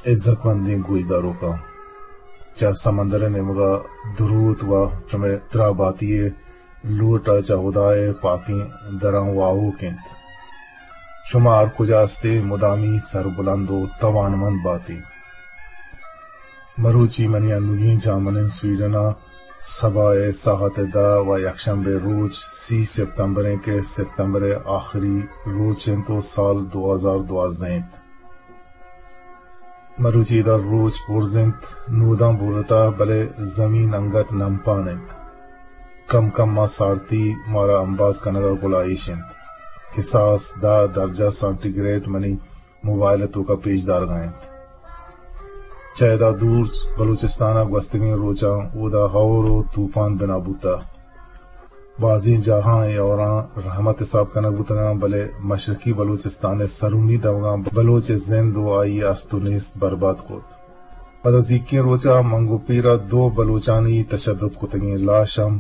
عزت مندیں گوشداروکاں، چہ سمندر ءِ نیمگ ءَ دروت و شمئے تراباتی ءِ لوٹ ءَ چہ ہدا ءِ پاکیں دراں واہوک انت۔ شما ہر کجا ہستے، مدامی سربلند و توانمند باتے۔ مروچی منی انوگیں جامن انت سویڈن ءَ، سباہ ءِ ساعت دہ و یکشنبے روچ سی سپتمبر انت کہ سپتمبر ءِ آخری روچ انت و سال دو ہزار دوازدہ انت۔ مروچی ادا روچ برز انت، نوداں برتہ، بلے زمین انگت نمپان انت۔ کم کم ءَ سارتی مارا امباز کنگ ءَ گلائیش انت۔ کساس دہ درجہ سانٹی گریڈ منی موبائل ءِ توکا پیش دارگا انت۔ چہ ادا دور بلوچستان ءَ گوستگیں روچاں اودا ہور و توپان بنا بوتہ۔ بازیں جاہاں اے ہوراں رحمت حساب کنگ بوتگاں، بلے مشرقی بلوچستان ءِ سرونی دمگاں بلوچ ءِ زند و آئی ءِ است و نیست برباد کت۔ پدا زیکیں روچ ءَ منگو پیر ءَ دو بلوچانی تشدد کتگیں لاش ہم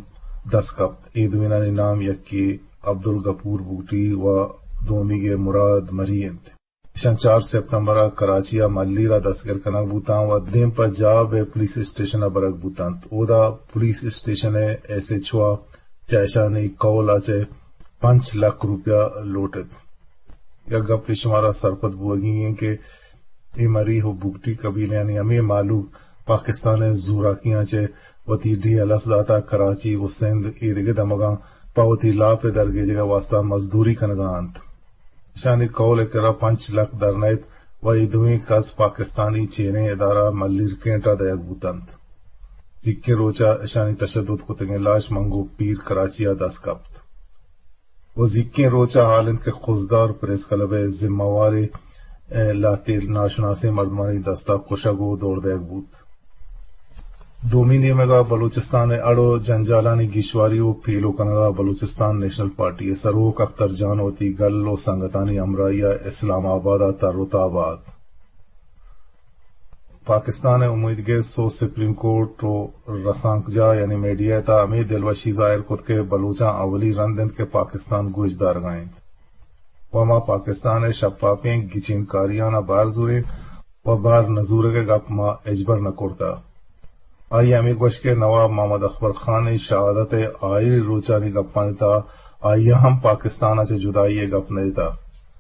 دست کپت۔ اے دوئینانی نام یکے عبدالغفور بگٹی و دومیگے مراد مری انت۔ ایشاں چار سپتمبر ءَ کراچی ءَ ملیر ءَ دستگر کنگ بوتاں و دیم پہ جاب ءِ پولیس اسٹیشن ءَ برگ بوتنت۔ اودا پولیس اسٹیشن ءِ ایس ایچ او ءَ چہ ایشانی کہول ءَ چہ پنچ لکھ روپیہ لوٹ ات۔ یک گپے شمارا سرپد بوگی انت کہ اے مری و بگٹی قبیلیانی ہمے مہلوک پاکستان ءِ زوراکیاں چہ وتی ڈیہہ الس داتہ، کراچی و سندھ ایدگہ دمگاں پہ وتی لاپ ءِ درگیجگ ءِ واستہ مزدوری کنگا انت۔ اشانی قول ءِ کرا پنچ لکھ در نئیت و اے دوئیں کس پاکستانی چیریں ادارہ ملیر کینٹ ءَ دئیگ بوتنت۔ زیکیں روچ ءَ اشانی تشدد کتگیں لاش منگو پیر کراچی ءَ دست کپت۔ و زیکیں روچ ءَ حال انت کہ خضدار پریس کلب ءِ ذمہ وارے، ءَ، لہتے ناشناسیں مردمانی دست ءَ کشگ و دور دئیگ بوت۔ دومی نیمگ ءَ بلوچستان ءِ اڑ و جنجالانی گیشواری و پیلو کنگ ءَ بلوچستان نیشنل پارٹی ءِ سروک اختر جان وتی گل و سنگتانی ہمراہی ءَ اسلام آباد ءَ تر و تاب ءَ ات۔ پاکستان ءِ امیدگس و سپریم کورٹ و رسانکجاہ یعنی میڈیا ءِ تہا ہمے دلوشی ظاہر کت کہ بلوچاں اولی رند انت کہ پاکستان گوش دارگا انت و ما پاکستان ءِ شپاپیں گچینکاریاں بہر زوریں و بہر نہ زورگ ءِ گپ ما ہچبر نہ کرتہ۔ آئی ءَ ہمے گوشت کہ نواب محمد اکبر خان ءِ شہادت ءِ آئری روچانی گپانی تہا آئی ءَ ہم پاکستان ءَ چہ جدائی ءِ گپ نہ جتہ،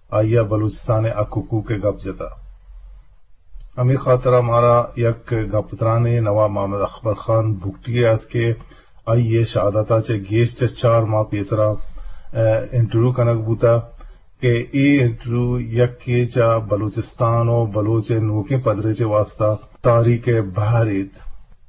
آئی ءَ بلوچستان ءِ حق حقوق ءِ گپ جتہ۔ ہمے خاطر ءَ مارا یک گپ ترانے نواب محمد اکبر خان بگٹی ءِ است کہ آئی ءِ شہادت ءَ چہ گیش چہ چار ماہ پیسرا، ءَ، انٹرویو کنگ بوتہ کہ اے انٹرویو یکے چہ بلوچستان و بلوچ ءِ نوکیں پدریچ ءِ واستہ تاریخ ءِ بہر ایت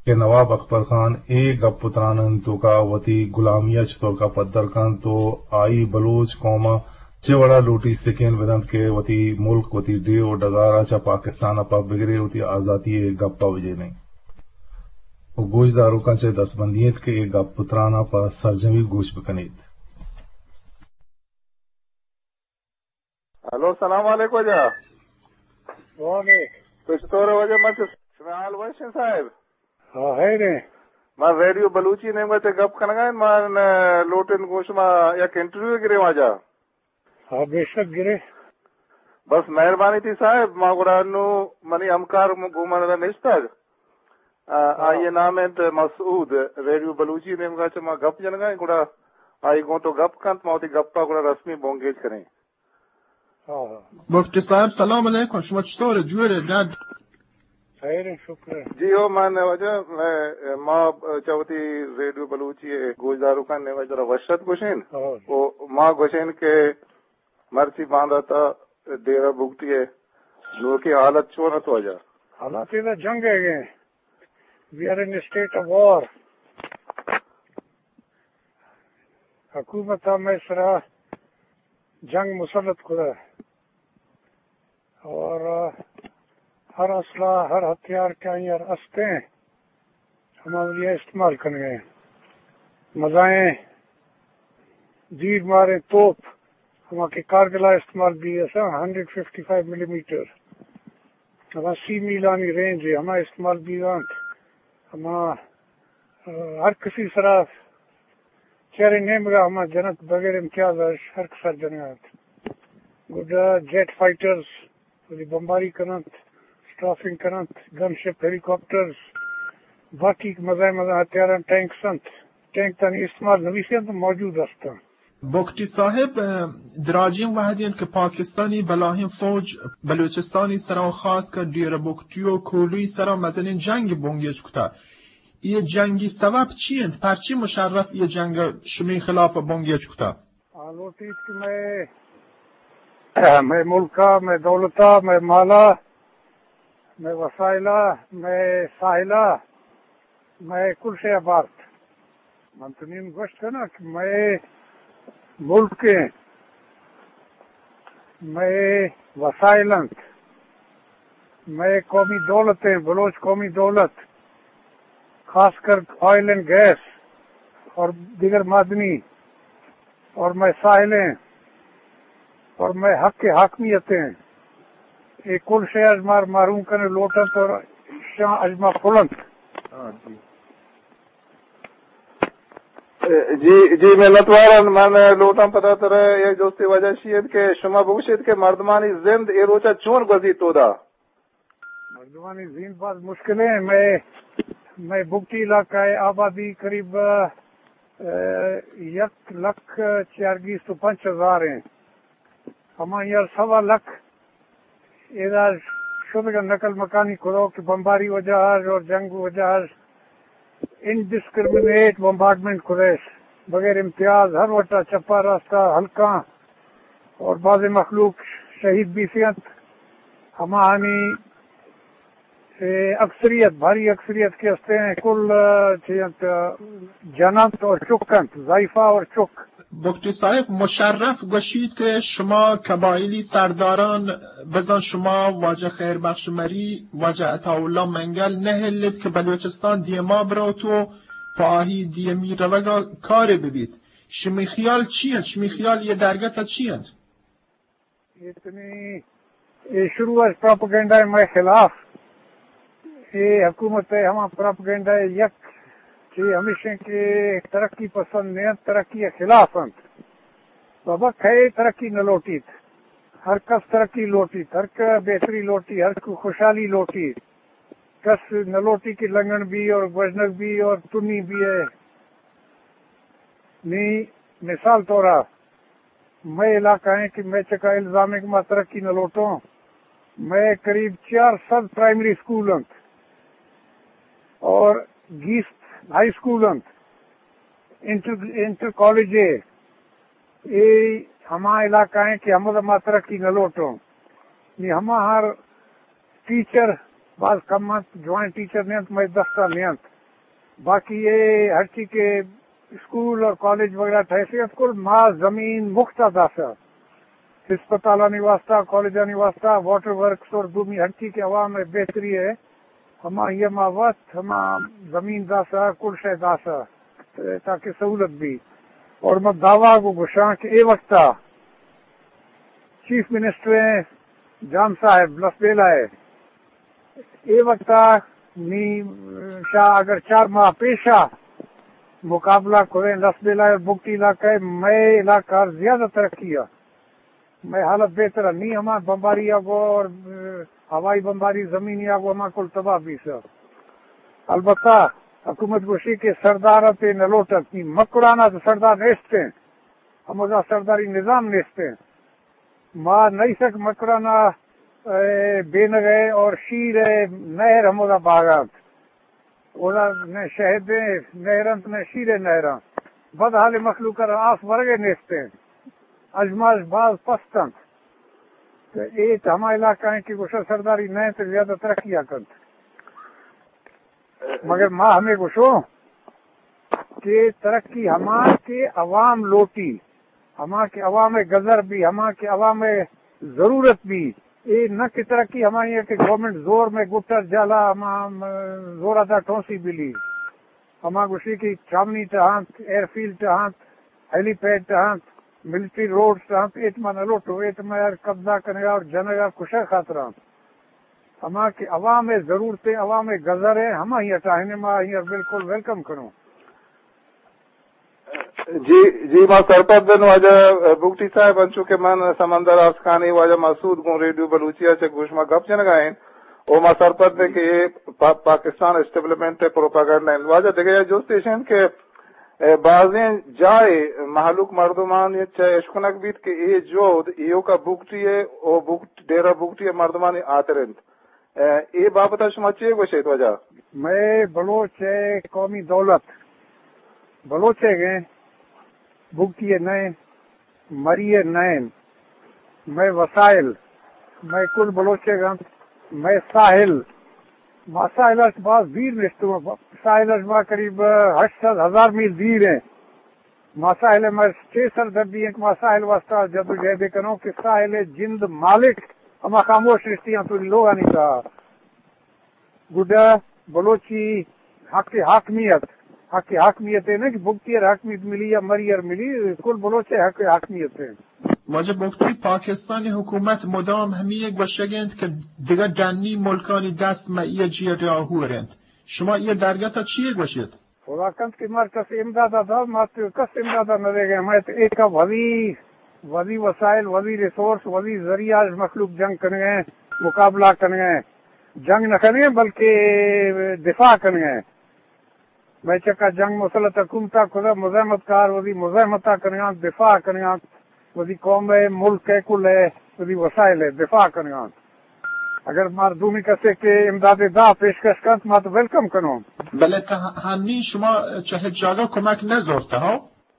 کہ نواب اکبر خان اے گپ و ترانانی توکا وتی گلامی ءَ چطورکا پدر کنت و آئی بلوچ قوم ءَ چہ وڑا لوٹی سکین بدنت کہ وتی ملک، وتی ڈیھ و ڈگار ءَ چہ پاکستان ءَ پہ بگرے، وتی آزاتی ءِ گپ ءَ بجینے۔ و گوشداروکاں چہ دستبندی انت کہ اے گپ و تران ءَ پہ سرجمی گوش بکنیت۔ ہلو، سلام علیکم واجہ۔ وعلیکم۔ تو چطور ئے واجہ؟ من چہ شمئے حال وش انت صاحب۔ ہاں، خیر انت۔ من ریڈیو بلوچی نیمگا چہ گپ کنگا انت، من لوٹیں گوں شما یک انٹرویو گریں واجہ۔ ہاں، بے شک گرے۔ بس مہربانی تئی صاحب، ما گڑا انو منی ہمکار م-، گوں من ادا نشتگ۔ آ، ہاں۔ آئی ءِ نام انت مسعود، ریڈیو بلوچی نیمگا چہ ما گپ جنگا ایں، گڑا آئی گوں تو گپ کنت، ما وتی گپا گڑا رسمی بنگیج کنیں۔ ہاں، ہاں۔ بگٹی صاحب، سلام علیکم، شما چطور ئے؟ جوڑ ئے؟ ڈڈ؟ خیر انت، شکر انت۔ جی ہو، من واجہ، میں، ما چہ وتی ریڈیو بلوچی ءِ گوشداروکاں نیمگا ترا وش ات گوشیں۔ ہاں۔ و ما گوشیں کہ مرچی باندات ءَ ڈیرہ بگٹی ءِ نوکیں حالت چون ات واجہ؟ حالات ادا جنگ ءِ ایں۔ We are in a state of war. حکومت ءَ مئے سرا جنگ مسلط کتہ اور ہر اسلحہ، ہر ہتھیار کہ آئی ءَ است ایں، ہما ولی ءَ استعمال کنگ ءَ ایں۔ مزائیں دیر ماریں توپ، ہما کہ کارگل ءَ استعمال بیگ ءَ اَنت، ہنڈریڈ ففٹی فائیو ملی میٹر، ہما سی میلانی رینج ءَ ہما استعمال بیگ ءَ اَنت۔ ہما، آ، ہر کسی سرا چیرے نیمگ ءَ ہما جنت، بغیر امتیاز ءَ ہر کس ءَ جنگ ءَ اَنت۔ گڈا جیٹ فائٹرز وتی بمباری کن اَنت، ٹرافنگ کننت، گن شپ، ہیلی کاپٹرز، باقی مزن مزن ہتھیاراں، ٹینکس انت، ٹینک تانی استعمال نویسی انت، موجود ہستاں۔ بگٹی صاحب، اه، دراجیں وہدی انت کہ پاکستانی بلاہیں فوج بلوچستانی سرا و خاص کر ڈیرہ بگٹی و کولوی سرا مزنیں جنگ بنگیج کتا۔ یہ جنگی سبب چی انت؟ پرچی مشرف یہ جنگ شمی خلاف بنگیج کتا؟ آ لوٹیت کہ مئے، مئے ملکا، مئے دولتا، مئے مالا، مئے وسائلا، مئے ساحلا، مئے کل شے بارت۔ من تو نیم گوشت کناں کہ مئے ملک انت، مئے وسائل انت، مئے قومی دولت انت، بلوچ قومی دولت، خاص کر آئل اینڈ گیس اور دیگر معدنی اور مئے ساحل انت اور مئے حق حاکمیت انت۔ اے کل شے اژ مار محروم کنگ لوٹ انت اور شاں اژ ما پل انت۔ ہاں، جی۔ جی، جی، منتوار آں۔ من لوٹاں پدا ترا یک جستے، وجہ اشی انت کہ شما بگوشیت کہ مردمانی زند اے روچا چون گوزیت اودا؟ مردمانی زند باز مشکل انت۔ مئے، مئے بگٹی علاقہ ءِ آبادی قریب، اه، یک لکھ چیارگیست و پنچ ہزار انت۔ ہمائی ءَ سوا لکھ ادا شدگا نقل مکانی کتو کہ بمباری وجہ اش اور جنگ وجہ اش انڈسکرمنیٹ بمبارڈمنٹ کتش، بغیر امتیاز ہر وٹا چپا راستا ہلکاں اور بعض مخلوق شہید بیثی انت۔ ہماہانی اے اکثریت، بھاری اکثریت کہ ہستیں، کل، چی انت، جن انت اور چک انت، ضعیفہ اور چک۔ بگٹی صاحب، مشرف گوشیت کہ شما قبائلی سرداران، بزاں شما واجہ خیر بخش مری، واجہ عطا اللہ منگل نہ ہلیت کہ بلوچستان دیما بروت و پہ آہی دیمی روگا کارے ببیت۔ شمی خیال چی انت؟ شمی خیال یہ درگت چی انت؟ اے تنی، اے شروع اش پروپیگنڈا ءِ مئے خلاف۔ اے حکومت ءِ ہما پروپیگنڈا ءِ یک چی ہمیش انت کہ ترقی پسند نہ انت، ترقی ءِ خلاف انت۔ بابا، کئے ترقی نہ لوٹیت؟ ہر کس ترقی لوٹیت، ہر کہ بہتری لوٹی، ہر کہ خوشحالی لوٹی۔ کس نہ لوٹی کہ لنگن بی اور گوژنگ بی اور تنی بی ہے۔ نی مثال طورا مئے علاقہ ہیں کہ مئے چکا الزام ہے کہ ما ترقی نہ لوٹوں۔ مئے قریب چار سد پرائمری اسکول انت اور گیست ہائی اسکول انت، انٹر، انٹر کالج ہے۔ اے ہما علاقہ ہیں کہ ہمودا ما ترقی نہ لوٹوں۔ نی ہما ہر ٹیچر باز کم انت، جوائن ٹیچر نہ انت، مئے دستا نہ انت۔ باقی اے ہرچی کہ اسکول اور کالج وغیرہ ٹھہسے انت، کل ما زمین مفتا داسا، ہسپتالانی واسطہ، کالجانی واسطہ، واٹر ورکس اور دومی ہرچی کہ عوام ءِ بہتری ہے، ہما یہ ما وت ہما زمین داسا، کل شے داسا، تاکہ سہولت بی۔ اور ما دعویٰ گو گشاں کہ اے وقتا چیف منسٹر ہیں جان صاحب لسبیلہ ہے، اے وقتا نی شا اگر چار ماہ پیشا مقابلہ کریں لسبیلہ اور بگٹی علاقہ ہے، مئے علاقہ زیادہ ترقی ہے، مئے حالت بہتر ہے۔ نی ہما بمباری آ گو اور ہوائی بمباری، زمینی آ گو، ہما کل تباہ بیثہ۔ البتہ حکومت گوشی کہ سردار تے نہ لوٹت، نی مکران ءَ تو سردار نیستیں، ہمودا سرداری نظام نیستیں۔ ما نئیسک مکران ءَ، اے، بینگ ءَ اور شیر ءِ نہر ہمودا باغ انت۔ اودا نہ شہد ءِ نہر انت، نہ شیر ءِ نہر انت۔ بدحال مخلوق ءَ را آس ورگ ءَ نیستیں۔ اژماش باز پست انت۔ تو اے تو ہما علاقہ ہیں کہ گوشہ سرداری نہ انت، زیادہ ترقی ءَ کنت۔ مگر ما ہمے گوشوں کہ ترقی ہما کہ عوام لوٹی، ہما کہ عوام ءِ گزر بی، ہما کہ عوام ءِ ضرورت بی، اے نہ کہ ترقی ہمائی ہے کہ گورنمنٹ زور میں گٹر جالا ہما، ہم، زور ادا ٹھونسی بلی۔ ہما گوشی کہ چامنی ٹہانت، ایئر فیلڈ ٹہانت، ہیلی پیڈ ٹہانت، ملٹری روڈز ٹہانت، ایت ما نہ لوٹو، ایت ما یار قبضہ کنگا اور جنگا کشگ خاطران۔ ہما کہ عوام ءِ ضرورت ہے، عوام ءِ گزر ہے، ہما ہی اٹاہنے ما ہی بالکل ویلکم کنوں۔ جی، جی، ما سرپد بن واجہ بگٹی صاحب، انچو کہ من سمندر آسکانی واجہ مسعود گوں ریڈیو بلوچی ءَ چہ گوش ما گپ جنگا ہیں۔ او ما سرپد ایں کہ اے پا-، پاکستان اسٹیبلشمنٹ ءِ پروپیگنڈا اِنت۔ واجہ دگہ یک جست ایش اِنت کہ، اے، بازیں جاہے مہلوک مردمانی چہ اشکنگ بیت کہ اے جہد ایوکا بگٹی ءِ او بگٹ-، ڈیرہ بگٹی ءِ مردمانی ہاتر اِنت۔ اے، اے بابت ءَ شما چے گوش ایت واجہ؟ مئے بلوچ ءِ قومی دولت بلوچ ءِ گیں، بگٹی ءِ نہ اِنت، مری ءِ نہ اِنت۔ مئے وسائل، مئے کل بلوچ ءِ گنت، مئے ساحل، ما ساحل اش باز دیر نشتوں، ساحل اش ما قریب ہشت سد ہزار میل دیر ایں۔ ما ساحل ءِ مئے چے سر دردی اِنت کہ ما ساحل واسطہ جدوجہد کنوں کہ ساحل ءِ جند مالک ہما خاموش نشتی اَنت لوگانی تہا۔ گڈا بلوچی حق حاکمیت، حق حاکمیت اِنت کہ بگٹی ءَ حاکمیت ملی یا مری ءَ ملی، کل بلوچ ءِ حق حاکمیت اِنت۔ واجہ بگٹی، پاکستانی حکومت مدام ہمے گوشگ اِنت کہ دگہ ڈنی ملکانی دست مئے جیڑہ ءَ ہور اِنت۔ شما اے درگت ءَ چی گوش ایت؟ خدا کنت کہ مار کس امداد ءَ دات، ما تو کس امداد ءَ نہ دیگ ءَ۔ مئے تو ایک وزی، وزی وسائل، وزی ریسورس، وزی ذریعہ اش مخلوق جنگ کنگ ءَ، مقابلہ کنگ ءَ۔ جنگ نہ کنگ ءَ بلکہ دفاع کنگ ءَ۔ مئے چکا جنگ مسلط حکومت ءَ کتہ، مزاحمت کار وزی مزاحمت ءَ کنگ ءَ اَنت، دفاع کنگ ءَ اَنت۔ وتی قوم ءِ، ملک ءِ کل ءِ، وتی وسائل ءِ دفاع کنگ ءَ اَنت۔ اگر مار دومی کسے کہ امداد ءِ دعا پیشکش کنت، ما تو ویلکم کنوں۔ بلے تہ-، ہنی شما چہ ہچ جاگہ کمک نہ زرتہ، ہو؟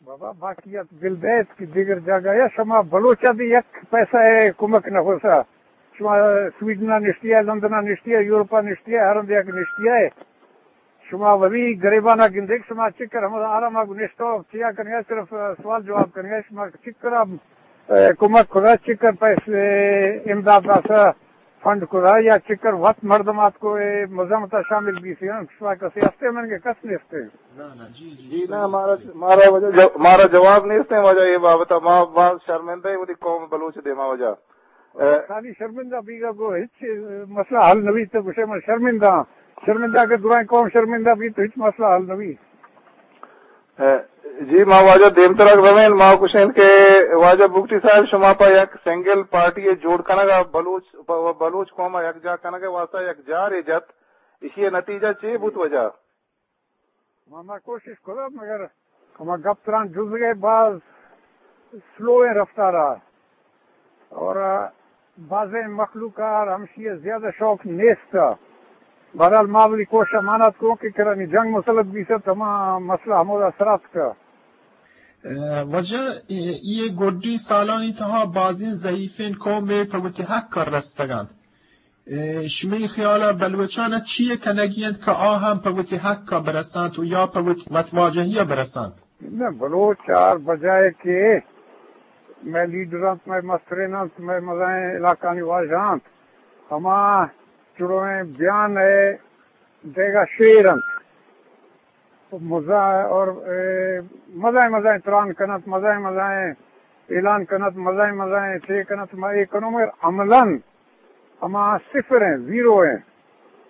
بابا، واقعیت بل دیت کہ دیگر جاگہ یا شما بلوچ ءَ بھی یک پیسہ ءِ کمک نہ ہوسا۔ شما سویڈن ءَ نشتی ءَ، لندن ءَ نشتی ءَ، یورپ ءَ نشتی ءَ، ہر ہند یک نشتی ءَ۔ شما وتی گریبان ءَ گندے کہ شما چکر ہمودا آرام ءَ گوں نشتہ ءُ چیا کنگ ءَ، صرف سوال جواب کنگ ءَ، شما چکر ءَ، اے، کمک کتہ، چکر پیسے امداد داتہ، فنڈ کتہ، یا چکر وت مردم آتکو اے مزاحمت ءَ شامل بیثہ، شما کسے ہستے؟ من کہ کس نیستے۔ نہ، نہ، جی، جی، جی، نہ، مارا، مارا واجہ جو-، مارا جواب نیست اِنت واجہ اے بابت ءَ۔ ما، ما شرمندہ ایں وتی قوم بلوچ ءِ دیما واجہ۔ اے، خالی شرمندہ بیگ ءَ گوں ہچ مسئلہ حل نہ بیت، تو گوشے من شرمندہ آں۔ شرمندہ اگر درائیں قوم شرمندہ بیت تو ہچ مسئلہ حل نہ بیت۔ اے، جی، ما واجہ دیمترا رویں، ما گوشیں کہ واجہ بگٹی صاحب، شما پہ یک سنگل پارٹی ءِ جوڑ کنگ ءَ، بلوچ، پہ بلوچ قوم ءَ یکجاہ کنگ ءِ واسطہ یک جارے جت، ایشی ءِ نتیجہ چے بوت واجہ؟ ما، ما کوشش کتہ، مگر ہما گپ تران جزگ ءَ باز سلو ایں رفتار ءَ، اور بازیں مخلوق ءَ ہمشی ءَ زیادہ شوق نیست۔ بہرحال ما وتی کوشش ءَ مان اتکوں کہ کرا نی جنگ مسلط بیثہ، ہما مسئلہ ہمودا سر اتکہ۔ اے، واجہ، اے، اے گڈی سالانی تہا بازیں ضعیفیں قومے پہ وتی حق ءَ رستگ اَنت۔ اے، شمئے خیال ءَ بلوچان ءَ چی کنگی اِنت کہ آ ہم پہ وتی حق ءَ برسانت ءُ یا پہ وتی وتواجہی ءَ برسانت؟ نہ، بلوچ ہر بجائے کہ مئے لیڈر اَنت، مئے مسترین اَنت، مئے مزائیں علاقانی واجہ اَنت، ہما چڑویں بیان ءِ دیگا شیر اَنت۔ مزا-، اور، اے، مزائیں مزائیں تران کنت، مزائیں مزائیں اعلان کنت، مزائیں مزائیں چے کنت، ما اے کنوں، مگر عملاً ہما صفر ایں، زیرو ایں۔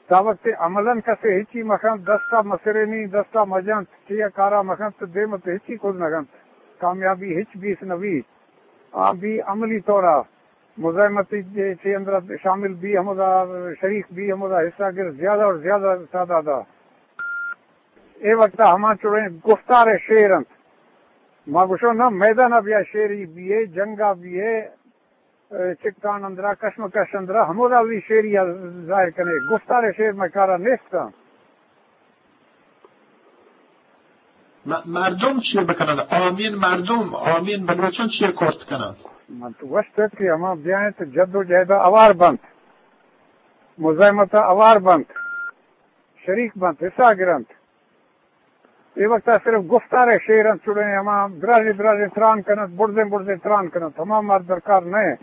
تا وقت عملاً کسے ہچی مکنت، دستا مسرینی، دستا مجنت، چیا کارا مکنت، تو دیم تو ہچی کت نکنت، کامیابی ہچ بیث نبی۔ آ بھی عملی طورا مزاحمت چے اندر شامل بی، ہمودا شریک بی، ہمودا حصہ گر، زیادہ اور زیادہ تعداد ءَ۔ اے وقت ہما چڑیں گفتار شیر اَنت۔ ما گوشوں نا، میدان ءَ بیا شیری بیئے، جنگ ءَ بیئے، اے، چکان اندرا، کشمکش اندرا، ہمودا وی شیری ءَ ظاہر کنے۔ گفتار شیر مئے کارا نیست اَنت۔ م-، مردم چی بکنند؟ عامین مردم، عامین بلوچان چی کرت کنند؟ من تو گوشت کہ ہما بیاینت جد و جہد ءَ ہوار بنت، مزاحمت ءَ ہوار بنت، شریک بنت، حصہ گرنت۔ اے وقت ءَ صرف گفتار شیر اَنت، چڑیں ہما دراجیں دراجیں تران کنت، برزیں برزیں تران کنت، ہما مار درکار نہ اِنت۔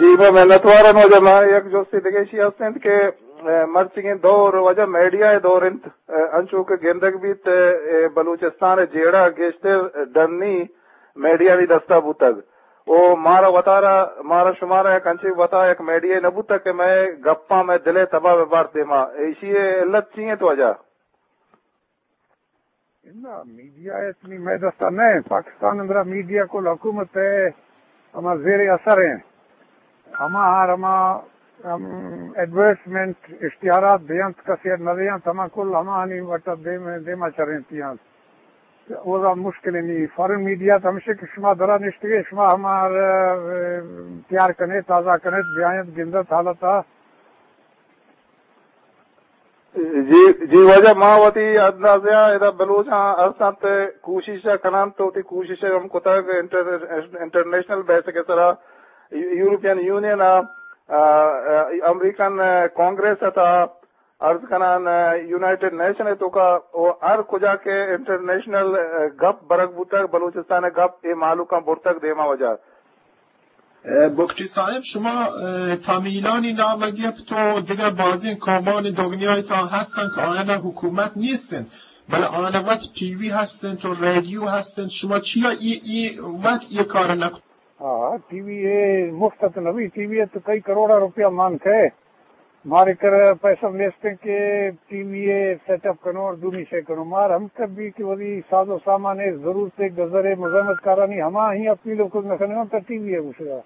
جی، ما منتوار آں۔ واجہ، ما یک جستے دگہ ایشی ہست اِنت کہ، اے، مرچیگیں دور واجہ میڈیا ءِ دور اِنت، اے، انچو کہ گندگ بیت، اے، بلوچستان ءِ جیڑہ گیشتر ڈنی میڈیانی دستا بوتگ۔ او مارا وتارا، مارا شمارا یک انچیں وتا یک میڈیا نہ بوتگ کہ مئے گپاں مئے دل ءِ تبا بہ بارت دیما۔ ایشی ءِ علت چی اِنت واجہ؟ نہ، میڈیا اتنی مئے دستا نہ اِنت۔ پاکستان اندرا میڈیا کل حکومت ءِ ہما زیر اثر اِنت۔ ہما ہر ہما ہم، ایڈورٹائزمنٹ، اشتہارات دینت، کسے نہ دینت، ہما کل ہمانی وٹا دیم، دیما چرینتی انت۔ اودا مشکل نہیں۔ فارن میڈیا تو ہمیشہ کہ شما درا نشتگے، شما ہمار، اه، تیار کنے، تازہ کنے، بیاینت، گندت حالتا۔ جی، جی واجہ، ما وتی اندازہ ءَ ادا بلوچاں ارسنت کوشش ءَ کننت، وتی کوشش ءَ ہم کتگ انٹر-، انٹرنیشنل بیسک ءِ سرا یو-، یورپین یونین ءَ، آ، آ، امریکن کانگریس ءِ تہا عرض کنان، آ، یونائیٹڈ نیشن ءِ توکا و ہر کجا کہ انٹرنیشنل، آ، گپ برگ بوتگ، بلوچستان ءِ گپ اے مہلوکاں برتگ دیما واجہ۔ اه، بگٹی صاحب، شما، اه، تامیلانی نام گپت و دگہ بازیں قومان دگنیای تا ہستن کہ آیانا حکومت نیستن، بلے آیانا وت ٹی وی ہستن و ریڈیو ہستن، شما چیا ای، ای وت ای کار نکن؟ ہاں، ٹی وی اے مفت تو نبی، ٹی وی اے تو کئی کروڑا روپیہ مان کھے۔ مارے کر پیسہ نیستیں کہ ٹی وی اے سیٹ اپ کنو اور دومی شے کنو۔ مار ہم کبھی کہ وہی ساز و سامان ءِ ضرورت ءِ گزر ءِ مزاحمت کارانی ہما ہی اپیل و کل نہ کنگا تا ٹی وی اے گوشگا۔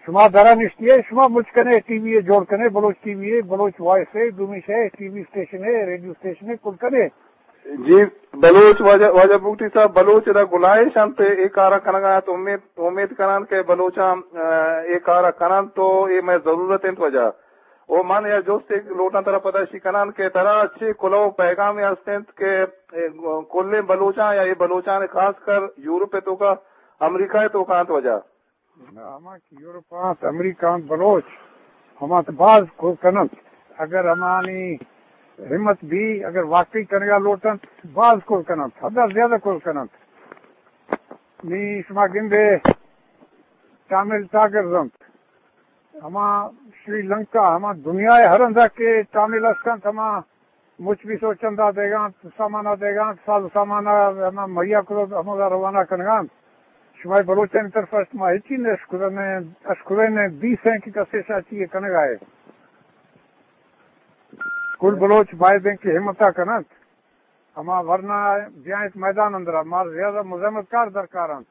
شما درا نشتی ءِ، شما مچ کنے ٹی وی اے جوڑ کنے، بلوچ ٹی وی اے، بلوچ وائس ءِ، دومی شے ٹی وی اسٹیشن ءِ، ریڈیو اسٹیشن ءِ، کل کنے۔ جی، بلوچ واجہ، واجہ بگٹی صاحب، بلوچ ادا گلائش انت، اے کارا کنگا انت، امید، امید کنان کہ بلوچاں، اه، اے کارا کننت تو اے مئے ضرورت انت واجہ۔ او من یا جست ایک لوٹاں ترا پدا اشی کنان کہ ترا چے کلو پیغامے ہست انت کہ، اے، کلیں بلوچاں یا اے بلوچاں خاص کر یورپ ءِ توکا، امریکہ ءِ توکا انت واجہ۔ ہما کہ یورپ آنت، امریکہ آنت، بلوچ ہما تو باز کل کننت۔ اگر ہمانی ہمت بھی، اگر واقعی کنگا لوٹنت، باز کل کننت، حد زیادہ کل کننت۔ نی شما گندے تامل ٹائیگرز انت، ہما شری لنکا، ہما دنیا ءِ ہر ہندا کہ تامل است انت، ہما مچ بھی سوچندا دیگا انت، سامانا دیگا انت، ساز سامانا ہما مہیا کرو، ہمودا روانہ کنگا انت۔ شمئے بلوچانی طرف است ما ہچی نہ اشکرنے، اشکرنے دیسیں کہ کسے شاچی کنگا ہے۔ کل بلوچ باید ہیں کہ ہمتا کننت، ہما ورنا بیائیں میدان اندرا، مار زیادہ مزاحمت کار درکار انت۔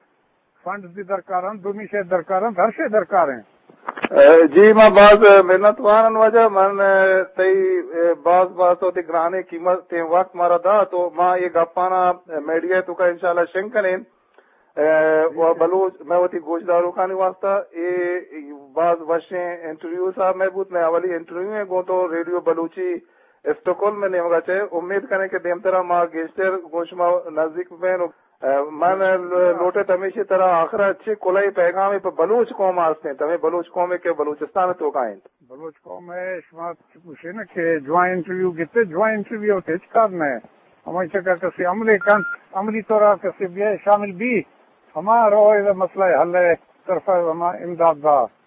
فنڈز بھی درکار انت، دومی شے درکار انت، ہر شے درکار ہیں۔ اے، جی، ما باز منت وارن واجہ، من، اے، تئی، اے، باز باز تو تئی گرانے قیمت تیں وقت مارا دا، تو ما یہ گپانا، اے، میڈیا توکا انشاءاللہ شنگ کنیں۔ اے، و بلوچ، میں وتی گوشداروکانی واسطہ اے باز وشیں انٹرویو صاحب میں بوت، میں اولی انٹرویو ہیں گوں تو ریڈیو بلوچی اسٹاکہولم میں نیمگا چے۔ امید کریں کہ دیمترا ما گیشتر گوں شما نزدیک بیں۔ اے، من لو-، لوٹت ہمیشی ترا آخرا چے کلئی پیغامے پہ بلوچ قوم آستیں، تمہیں بلوچ قومے کہ بلوچستان توکا انت۔ بلوچ قوم ہے، شما چکوشے نا کہ جوان انٹرویو گیتے، جوان انٹرویو تے ہچ کار نہ ہے۔ ہمائی چکا کسی عملے کنت، عملی طورا کسی بیائے شامل بھی، ہما روئے مسئلہ حل ہے، طرفا ہما امداد دا۔